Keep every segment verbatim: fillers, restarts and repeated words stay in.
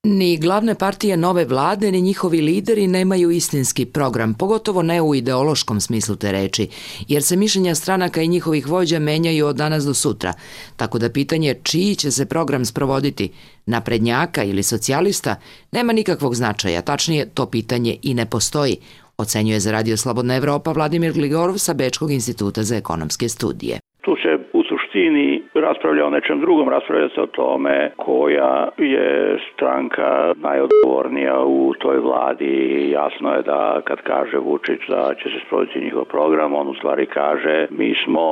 Ni glavne partije nove vlade, ni njihovi lideri nemaju istinski program, pogotovo ne u ideološkom smislu te reči, jer se mišljenja stranaka i njihovih vođa menjaju od danas do sutra, tako da pitanje čiji će se program sprovoditi, naprednjaka ili socijalista, nema nikakvog značaja, tačnije to pitanje i ne postoji, ocenjuje za Radio Slobodna Evropa Vladimir Gligorov sa Bečkog instituta za ekonomske studije. Tu se u suštini raspravlja o nečem drugom, raspravlja se o tome koja je stranka najodgovornija u toj vladi. Jasno je da kad kaže Vučić da će se sprovoditi njihov program, on u stvari kaže mi smo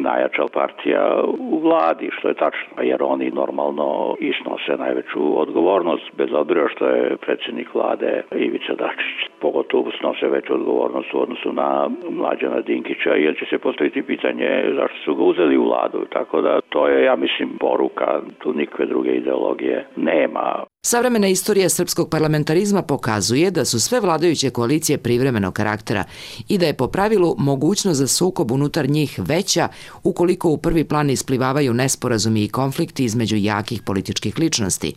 najjača partija u vladi, što je tačno, jer oni normalno isnose najveću odgovornost, bez obzira što je predsjednik vlade Ivica Dačić. Pogotovo snose veću odgovornost u odnosu na Mlađana Dinkića, jer će se postaviti pitanje zašto su ga uzeli u vladu, tako da to je, ja mislim, poruka, tu nikakve druge ideologije nema. Savremena istorija srpskog parlamentarizma pokazuje da su sve vladajuće koalicije privremenog karaktera i da je po pravilu mogućnost za sukob unutar njih veća ukoliko u prvi plan isplivavaju nesporazumi i konflikti između jakih političkih ličnosti,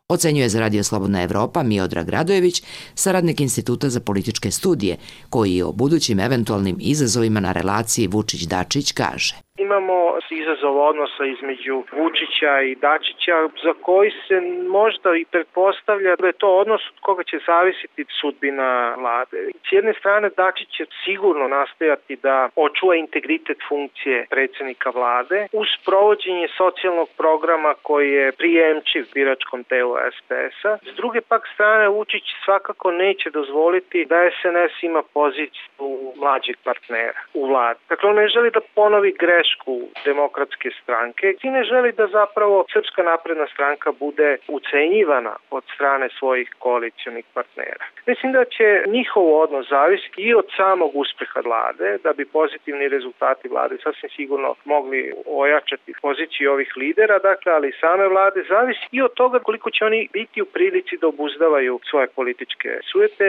ocenjuje za Radio Slobodna Evropa Miodrag Radojević, saradnik Instituta za političke studije, koji o budućim eventualnim izazovima na relaciji Vučić-Dačić kaže. Imamo izazov odnosa između Vučića i Dačića za koji se možda i pretpostavlja da je to odnos od koga će zavisiti sudbina vlade. S jedne strane Dačić će sigurno nastojati da očuva integritet funkcije predsjednika vlade uz provođenje socijalnog programa koji je prijemčiv biračkom telu es pe es-a. S druge pak strane Vučić svakako neće dozvoliti da es en es ima poziciju mlađeg partnera u vladi. Dakle, on ne želi da ponovi grešku Demokratske stranke i ne želi da zapravo Srpska napredna stranka bude ucenjivana od strane svojih koalicionih partnera. Mislim da će njihov odnos zavisiti i od samog uspeha vlade, da bi pozitivni rezultati vlade sasvim sigurno mogli ojačati poziciju ovih lidera, dakle, ali i same vlade zavisi i od toga koliko će oni biti u prilici da obuzdavaju svoje političke sujete.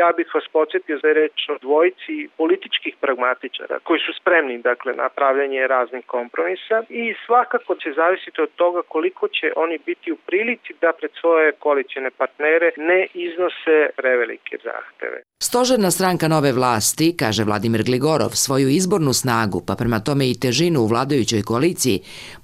Ja bih vas podsjetio da je reč o dvojici političkih pragmatičara koji su spremni, dakle, na pravljanje raznih kompromisa i svakako će zavisiti od toga koliko će oni biti u prilici da pred svoje koalicione partnere ne iznose prevelike zahteve. Stožerna stranka nove vlasti, kaže Vladimir Gligorov, svoju izbornu snagu, pa prema tome i težinu u vladajućoj koaliciji,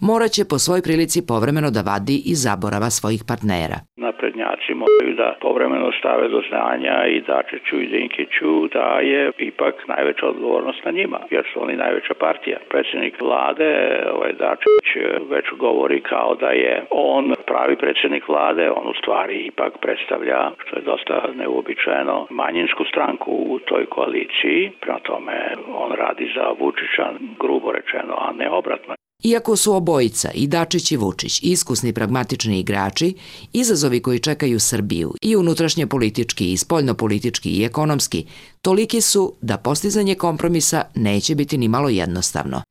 morat će po svoj prilici povremeno da vadi i zaborava svojih partnera. Naprednjaci moraju da povremeno stave do znanja i Dačiću i Dinkiću da je ipak najveća odgovornost na njima, jer su oni najveća partija. Predsjednik vlade, ovaj Dačić, već govori kao da je on pravi predsjednik vlade, on u stvari ipak predstavlja, što je dosta neuobičajeno, manjinsku stranku u toj koaliciji, prema tome on radi za Vučića, grubo rečeno, a ne obratno. Iako su obojica, i Dačić i Vučić, iskusni pragmatični igrači, izazovi koji čekaju Srbiju i unutrašnje politički, i spoljnopolitički, i ekonomski, toliki su da postizanje kompromisa neće biti ni malo jednostavno.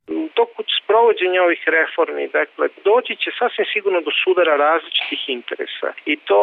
Provođenje ovih reformi, dakle, doći će sasvim sigurno do sudara različitih interesa i to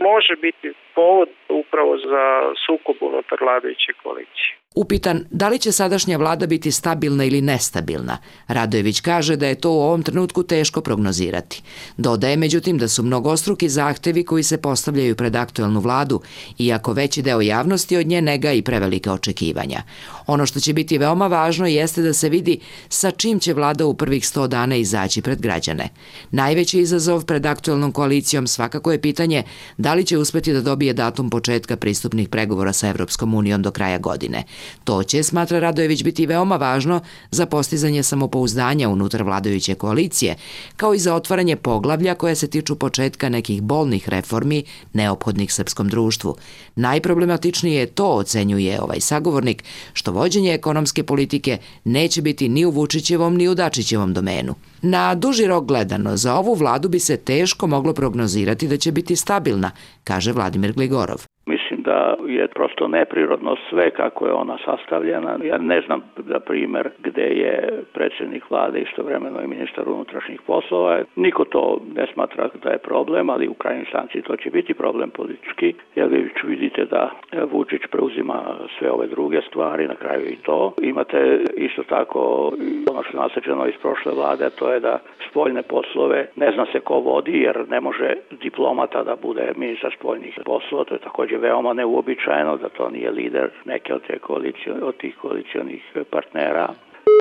može biti povod upravo za sukob unutar vladajuće koalicije. Upitan da li će sadašnja vlada biti stabilna ili nestabilna, Radojević kaže da je to u ovom trenutku teško prognozirati. Dodaje međutim da su mnogostruki zahtevi koji se postavljaju pred aktuelnu vladu, iako veći deo javnosti od nje nega i prevelike očekivanja. Ono što će biti veoma važno jeste da se vidi sa čim će vlada u prvih sto dana izaći pred građane. Najveći izazov pred aktuelnom koalicijom svakako je pitanje da li će uspeti da dobije datum početka pristupnih pregovora sa Evropskom unijom do kraja godine. To će, smatra Radojević, biti veoma važno za postizanje samopouzdanja unutar vladajuće koalicije, kao i za otvaranje poglavlja koja se tiču početka nekih bolnih reformi neophodnih srpskom društvu. Najproblematičnije je to, ocenjuje ovaj sagovornik, što vođenje ekonomske politike neće biti ni u Vučićevom ni u Dačićevom domenu. Na duži rok gledano, za ovu vladu bi se teško moglo prognozirati da će biti stabilna, kaže Vladimir Gligorov. Mislim mislim da je prosto neprirodno sve kako je ona sastavljena. Ja ne znam, za primjer, gde je predsjednik vlade istovremeno i ministar unutrašnjih poslova. Niko to ne smatra da je problem, ali u krajnjoj instanci to će biti problem politički, jer vi vidite da Vučić preuzima sve ove druge stvari, na kraju i to. Imate isto tako ono što je nasleđeno iz prošle vlade, to je da spoljne poslove ne zna se ko vodi, jer ne može diplomata da bude ministar spoljnih poslova. To je također veoma neuobičajeno, da to nije lider neke od, te koalicije, od tih koalicionih partnera.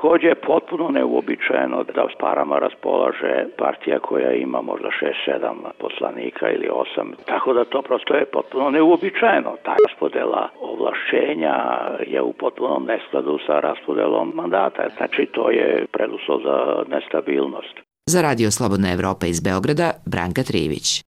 Također je potpuno neuobičajeno da s parama raspolaže partija koja ima možda šest sedam poslanika ili osam. Tako da to prosto je potpuno neuobičajeno. Ta raspodela ovlašćenja je u potpunom neskladu sa raspodelom mandata. Znači to je preduslov za nestabilnost. Za Radio Slobodna Evropa iz Beograda, Branka Trijević.